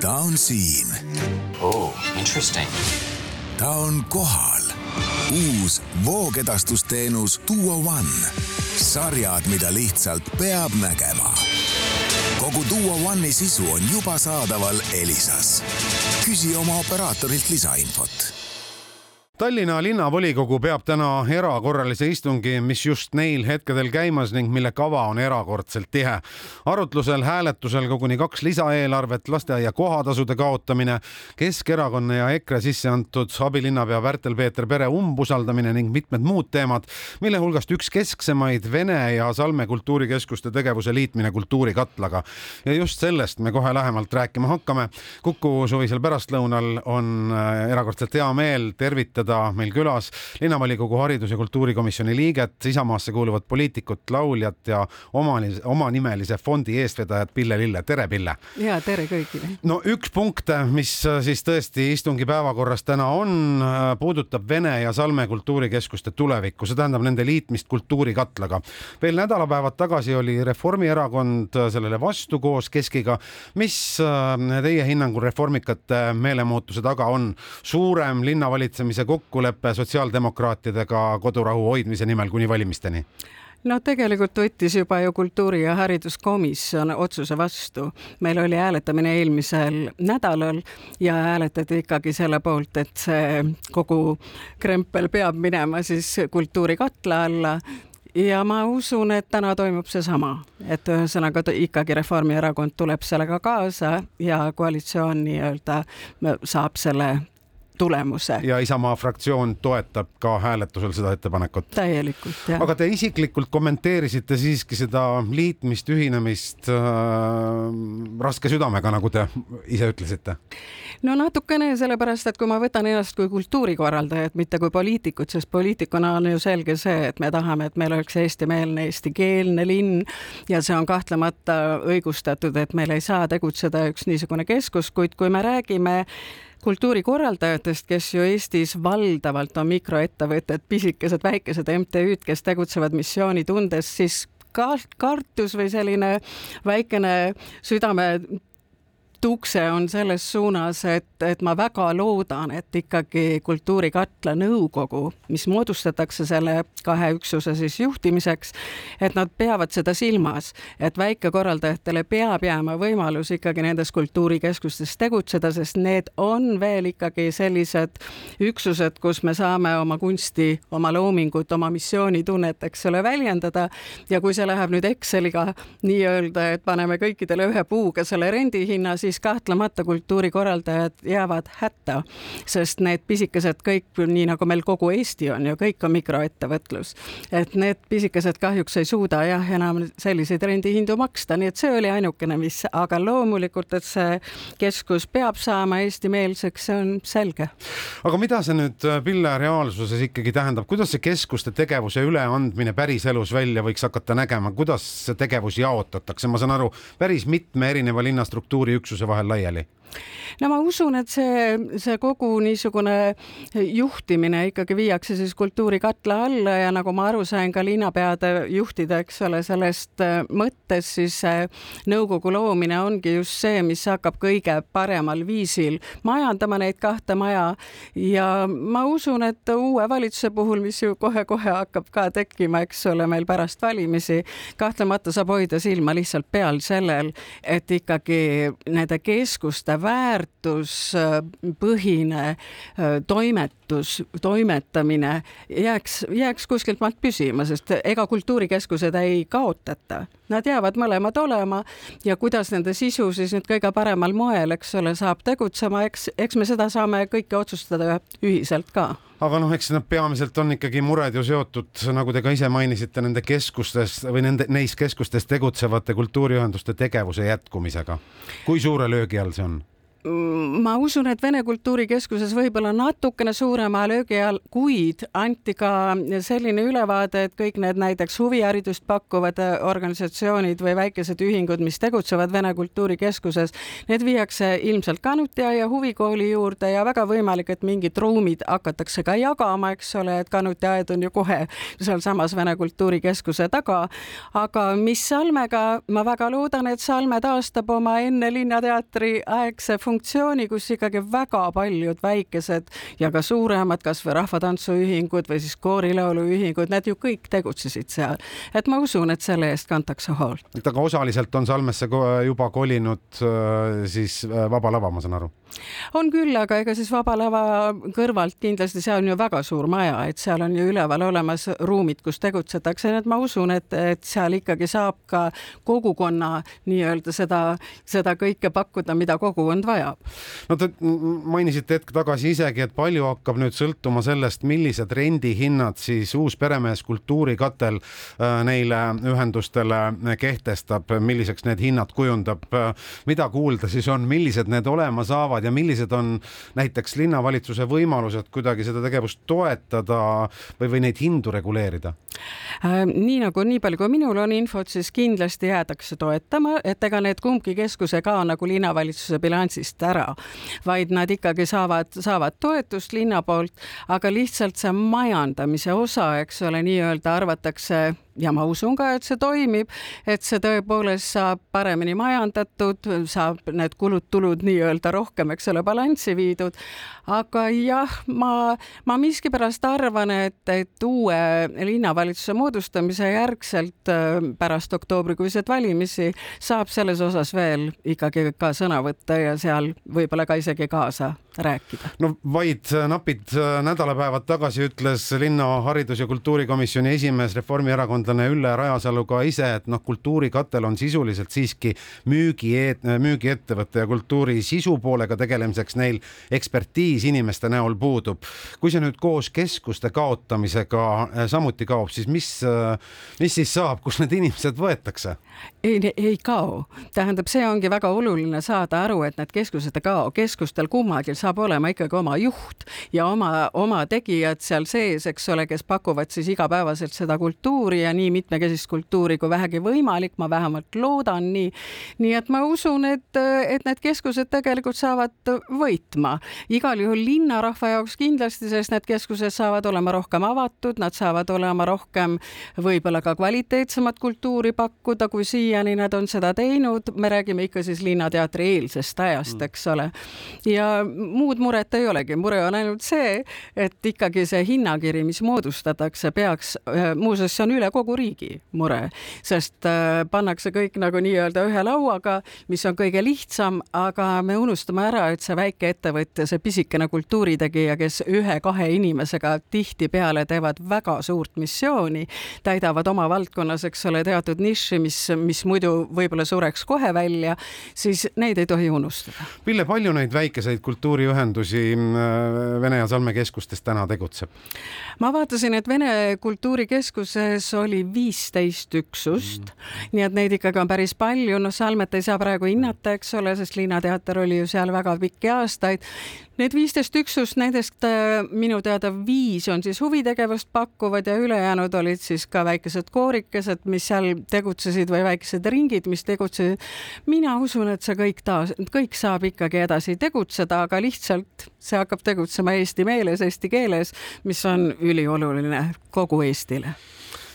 ta on siin. Oh, interesting. Ta on kohal. Uus voogedastusteenus Duo One. Sarjad, mida lihtsalt peab nägema. Kogu Duo One'i sisu on juba saadaval Elisas. Küsi oma operaatorilt lisainfot. Tallinna linnavolikogu peab täna erakorralise istungi, mis just neil hetkedel käimas ning mille kava on erakordselt tihe. Arutlusel hääletusel koguni 2 lisaeelarvet, lasteaia kohatasude kaotamine, Keskerakonna ja EKRE sisse antud abilinnapea Värtel-Peeter Pere umbusaldamine ning mitmed muud teemad, mille hulgast üks kesksemaid Vene ja Salme kultuurikeskuste tegevuse liitmine kultuurikatlaga. Ja just sellest me kohe lähemalt rääkima hakkame. Kuku suvisel pärastlõunal on erakordselt hea meel tervitada meil külas linnavolikogu haridus- ja kultuurikomisjoni liiget, Isamaasse kuuluvat poliitikut, lauljat ja omanimelise fondi eestvedajat Pille Lille. Tere, Pille! Ja, tere kõigile! No üks punkt, mis siis tõesti istungi päevakorras täna on, puudutab Vene ja Salme kultuurikeskuste tulevikku. See tähendab nende liitmist kultuurikatlaga. Veel nädalapäevad tagasi oli Reformierakond sellele vastu koos Keskiga. Mis teie hinnangul reformikate meelemuutuse taga on? Suurem linnavalitsemise kokkuleppe sotsiaaldemokraatidega kodurahu hoidmise nimel kuni valimisteni? No tegelikult võttis juba ju kultuuri- ja hariduskomisjon otsuse vastu. Meil oli hääletamine eelmisel nädalal ja hääletati ikkagi selle poolt, et see kogu krempel peab minema siis kultuurikatla alla. Ja ma usun, et täna toimub see sama, et ühesõnaga ikkagi Reformierakond tuleb sellega kaasa ja koalitsioon nii-öelda saab selle tulemuse. Ja Isamaa fraktsioon toetab ka hääletusel seda ettepanekut. Täielikult, jah. Aga te isiklikult kommenteerisite siiski seda liitmist, ühinemist raske südamega, nagu te ise ütlesite? No natukene sellepärast, et kui ma võtan ennast kui kultuurikorraldajat, mitte kui poliitikut, sest poliitikuna on ju selge see, et me tahame, et meil oleks eestimeelne, eestikeelne linn ja see on kahtlemata õigustatud, et meil ei saa tegutseda üks niisugune keskus, kuid kui me räägime kultuurikorraldajatest, kes ju Eestis valdavalt on mikroettevõtted, pisikesed, väikesed MTÜ-d, kes tegutsevad missioonitundes, siis kartus või selline väikene südame tukse on selles suunas, et ma väga loodan, et ikkagi kultuurikatla nõukogu, mis moodustatakse selle 2 üksuse siis juhtimiseks, et nad peavad seda silmas, et väikekorraldajatele peab jääma võimalus ikkagi nendes kultuurikeskustes tegutseda, sest need on veel ikkagi sellised üksused, kus me saame oma kunsti, oma loomingut, oma missioonitunnet, eks ole, väljendada ja kui see läheb nüüd Exceliga nii-öelda, et paneme kõikidele ühe puuga selle rendihinna, siis kahtlemata kultuurikorraldajad jäävad hätta, sest need pisikesed kõik, nii nagu meil kogu Eesti on ju, kõik on mikroettevõtlus, et need pisikesed kahjuks ei suuda enam selliseid rendihindu maksta, nii et see oli ainukene, mis, aga loomulikult, et see keskus peab saama eestimeelseks, see on selge. Aga mida see nüüd, Pille, reaalsuses ikkagi tähendab? Kuidas see keskuste tegevuse üleandmine päris elus välja võiks hakata nägema? Kuidas see tegevus jaotatakse? Ma saan aru, päris mitme erineva linnastruktuuri üksuse vahel laiali. No ma usun, et see kogu niisugune juhtimine ikkagi viiakse siis kultuurikatla alla ja nagu ma aru sain ka linnapeade juhtida, eks ole, sellest mõttes siis nõukogu loomine ongi just see, mis hakkab kõige paremal viisil majandama neid 2 maja ja ma usun, et uue valitsuse puhul, mis ju kohe-kohe hakkab ka tekkima, eks ole, meil pärast valimisi, kahtlemata saab hoida silma lihtsalt peal sellel, et ikkagi nende keskuste väärtuspõhine toimetamine jääks kuskilt maalt püsima, sest ega kultuurikeskused ei kaotata. Nad jäävad mõlemad olema ja kuidas nende sisu siis nüüd kõige paremal moel, eks ole, saab tegutsema, eks me seda saame kõike otsustada ühiselt ka. Aga eks nad peamiselt on ikkagi mured ju seotud, nagu te ka ise mainisite, nende keskustes või neis keskustes tegutsevate kultuuriühenduste tegevuse jätkumisega. Kui suure löögi all see on? ma usun, et Vene Kultuurikeskuses võib-olla natukene suurema löögi all, kuid anti ka selline ülevaade, et kõik need näiteks huviharidust pakkuvad organisatsioonid või väikesed ühingud, mis tegutsevad Vene Kultuurikeskuses, need viiakse ilmselt Kanutiaia huvikooli juurde ja väga võimalik, et mingid ruumid hakatakse ka jagama, eks ole, et Kanutiaed on ju kohe seal samas Vene Kultuurikeskuse taga. Aga mis Salmega, ma väga loodan, et Salme taastab oma enne Linnateatri aegse funktsiooni, kus ikkagi väga paljud väikesed ja ka suuremad, kas või rahvatantsuühingud või siis koorilauluühingud, need ju kõik tegutsesid seal. Et ma usun, et selle eest kantakse hoolt. Aga osaliselt on Salmesse juba kolinud siis Vaba Lava, ma saan aru. On küll, aga ega siis Vaba Lava kõrvalt kindlasti see on ju väga suur maja, et seal on ju üleval olemas ruumid, kus tegutsetakse, nii et ma usun, et seal ikkagi saab ka kogukonna nii-öelda seda kõike pakkuda, mida kogukond vajab. No te mainisite hetk tagasi isegi, et palju hakkab nüüd sõltuma sellest, millised rendihinnad siis uus Peremees Kultuurikatel neile ühendustele kehtestab, milliseks need hinnad kujundab, mida kuulda siis on, millised need olema saavad ja millised on näiteks linnavalitsuse võimalused kuidagi seda tegevust toetada või neid hindu reguleerida? Nii palju kui minul on infot, siis kindlasti jäädakse toetama, et ega need kumbki keskuse ka nagu linnavalitsuse bilansist ära, vaid nad ikkagi saavad toetust linna poolt, aga lihtsalt see majandamise osa, eks ole, nii-öelda arvatakse ja ma usun ka, et see toimib, et see tõepoolest saab paremini majandatud, saab need kulud-tulud nii-öelda rohkem, eks ole, balanssi viidud. Aga jah, ma miskipärast arvan, et uue linnavalitsuse moodustamise järgselt pärast oktoobrikuiseid valimisi saab selles osas veel ikkagi ka sõna võtta ja seal võib-olla ka isegi kaasa rääkida. No vaid napid nädalapäevad tagasi ütles linna haridus- ja kultuurikomisjoni esimees reformierakondlane Ülle Rajasalu ka ise, et kultuurikatel on sisuliselt siiski müügiettevõtte ja kultuuri sisu poolega tegelemiseks neil ekspertiis inimeste näol puudub. Kui see nüüd koos keskuste kaotamisega samuti kaob, siis mis siis saab, kus need inimesed võetakse? Ei kao. Tähendab, see ongi väga oluline saada aru, et need keskused ei kao. Keskustel kummagil saab olema ikkagi oma juht ja oma tegijad seal sees, eks ole, kes pakuvad siis igapäevaselt seda kultuuri ja nii mitmekesist kultuuri kui vähegi võimalik, ma vähemalt loodan nii. Nii et ma usun, et need keskused tegelikult saavad võitma. Igal juhul linnarahva jaoks kindlasti, sest need keskused saavad olema rohkem avatud, nad saavad olema rohkem võib-olla ka kvaliteetsemat kultuuri pakkuda, kui siiani nad on seda teinud. Me räägime ikka siis Linnateatri eelsest ajast, eks ole. Ja muud muret ei olegi. Mure on ainult see, et ikkagi see hinnakiri, mis moodustatakse, peaks, muuseas see on üle kogu riigi mure, sest pannakse kõik nagu nii-öelda ühe lauaga, mis on kõige lihtsam, aga me unustame ära, et see väike ettevõtja, see pisikene kultuuritegija, kes 1-2 inimesega tihti peale teevad väga suurt missiooni, täidavad oma valdkonnas, eks ole, teatud niši, mis muidu võib-olla sureks kohe välja, siis neid ei tohi unustada. Pille, palju neid väikeseid kultuuriühendusi Vene ja Salme keskustes täna tegutseb? Ma vaatasin, et Vene Kultuurikeskuses oli 15 üksust, nii et neid ikkagi on päris palju. No Salmet ei saa praegu hinnata, eks ole, sest Linnateater oli ju seal väga pikki aastaid. Need 15 üksust, nendest minu teada 5 on siis huvitegevust pakkuvad ja ülejäänud olid siis ka väikesed koorikesed, mis seal tegutsesid või väikesed ringid, mis tegutsesid. Mina usun, et see kõik saab ikkagi edasi tegutseda, aga lihtsalt see hakkab tegutsema eesti meeles, eesti keeles, mis on ülioluline kogu Eestile.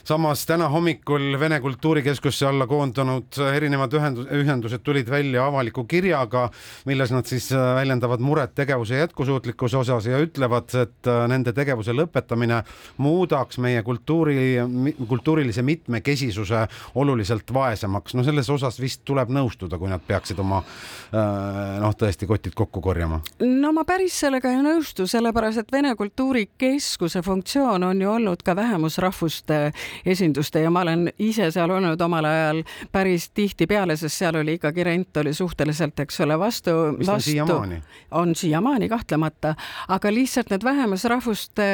Samas täna hommikul Vene Kultuurikeskusse alla koondunud erinevad ühendused tulid välja avaliku kirjaga, milles nad siis väljendavad muret tegevuse jätkusuutlikkuse osas ja ütlevad, et nende tegevuse lõpetamine muudaks meie kultuurilise mitmekesisuse oluliselt vaesemaks. No selles osas vist tuleb nõustuda, kui nad peaksid oma tõesti kotid kokku korjama. No ma päris sellega ei nõustu, sellepärast, et Vene Kultuurikeskuse funktsioon on ju olnud ka vähemusrahvuste esinduste ja ma olen ise seal olnud omal ajal päris tihti peale, sest seal oli ikkagi rent oli suhteliselt, eks ole, vastu. On siiamaani kahtlemata, aga lihtsalt need vähemusrahvuste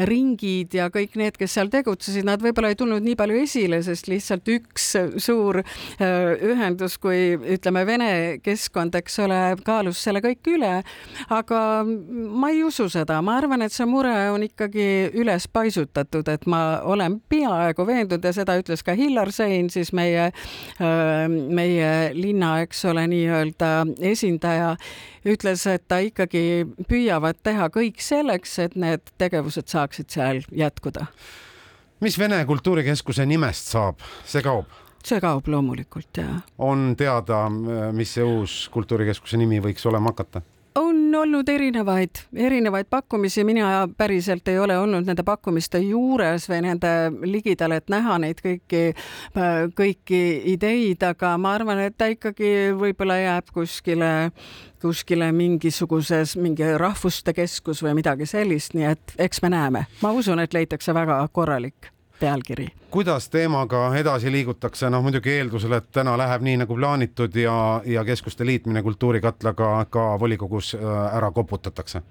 ringid ja kõik need, kes seal tegutsesid, nad võib-olla ei tulnud nii palju esile, sest lihtsalt üks suur ühendus, kui ütleme Vene keskkond, eks ole, kaalus selle kõik üle, aga ma ei usu seda. Ma arvan, et see mure on ikkagi üles paisutatud, et ma olen peaaegu veendunud ja seda ütles ka Hillar Sein, siis meie linna, eks ole, nii-öelda esindaja, ütles, et ta ikkagi püüavad teha kõik selleks, et need tegevused saaksid seal jätkuda. Mis Vene kultuurikeskuse nimest saab? See kaob? See kaob loomulikult, jah. On teada, mis see uus kultuurikeskuse nimi võiks olema hakata? On olnud erinevaid pakkumisi, mina päriselt ei ole olnud nende pakkumiste juures või nende ligidal, et näha neid kõiki ideid, aga ma arvan, et ta ikkagi võib-olla jääb kuskile mingi rahvuste keskus või midagi sellist, nii et eks me näeme. Ma usun, et leitakse väga korralik pealkiri. Kuidas teemaga edasi liigutakse? Muidugi eeldusel, et täna läheb nii nagu plaanitud ja keskuste liitmine kultuurikatlaga ka volikogus ära koputatakse.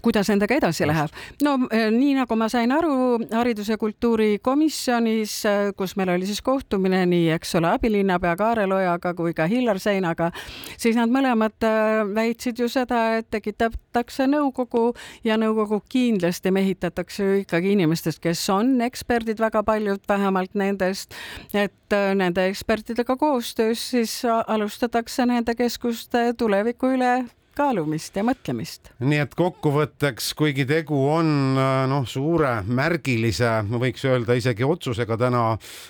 Kuidas nendega edasi läheb? No nii nagu ma sain aru haridus- ja kultuurikomisjonis, kus meil oli siis kohtumine nii, eks ole, abilinnapea Kaarel Ojaga kui ka Hillar Seinaga, siis nad mõlemad väitsid ju seda, et tekitatakse nõukogu ja nõukogu kindlasti mehitatakse ju ikkagi inimestest, kes on eksperdid, väga paljud vähemalt nendest, et nende ekspertidega koostöös siis alustatakse nende keskuste tuleviku üle kaalumist ja mõtlemist. Nii et kokkuvõtteks, kuigi tegu on suure märgilise, võiks öelda isegi otsusega täna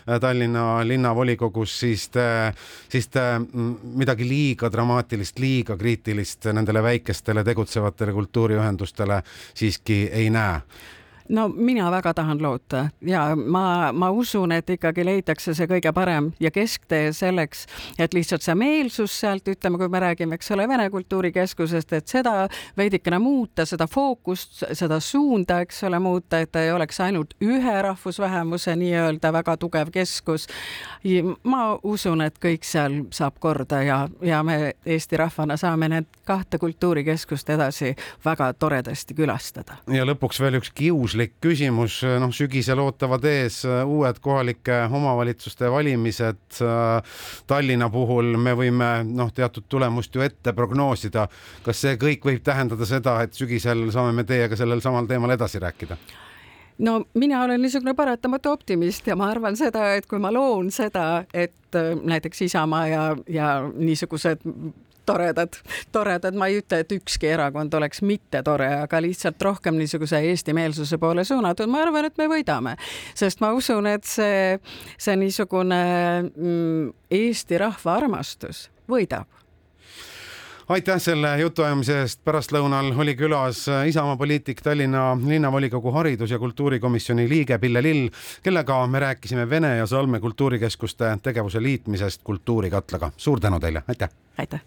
Tallinna linnavolikogus, siis te midagi liiga dramaatilist, liiga kriitilist nendele väikestele tegutsevatele kultuuriühendustele siiski ei näe. No mina väga tahan loota ja ma usun, et ikkagi leitakse see kõige parem ja kesktee selleks, et lihtsalt see meelsus sealt, ütleme, kui me räägime, eks ole, Vene kultuurikeskusest, et seda veidikene muuta, seda fookust, seda suunda, eks ole, muuta, et ei oleks ainult ühe rahvusvähemuse nii-öelda väga tugev keskus. Ma usun, et kõik seal saab korda ja me Eesti rahvana saame need 2 kultuurikeskust edasi väga toredasti külastada. Ja lõpuks veel üks kiuslik küsimus, sügisel ootavad ees uued kohalike omavalitsuste valimised. Tallinna puhul me võime teatud tulemust ju ette prognoosida. Kas see kõik võib tähendada seda, et sügisel saame me teiega sellel samal teemal edasi rääkida? No mina olen niisugune paratamatu optimist ja ma arvan seda, et kui ma loon seda, et näiteks Isamaa ja niisugused toredad, ma ei ütle, et ükski erakond oleks mitte tore, aga lihtsalt rohkem niisuguse Eesti meelsuse poole suunatud. Ma arvan, et me võidame, sest ma usun, et see niisugune Eesti rahva armastus võidab. Aitäh selle jutuajamise eest. Pärastlõunal oli külas Isamaa poliitik, Tallinna linnavolikogu haridus- ja kultuurikomisjoni liige Pille Lill, kellega me rääkisime Vene ja Salme kultuurikeskuste tegevuse liitmisest kultuurikatlaga. Suur tänu teile. Aitäh. Aitäh.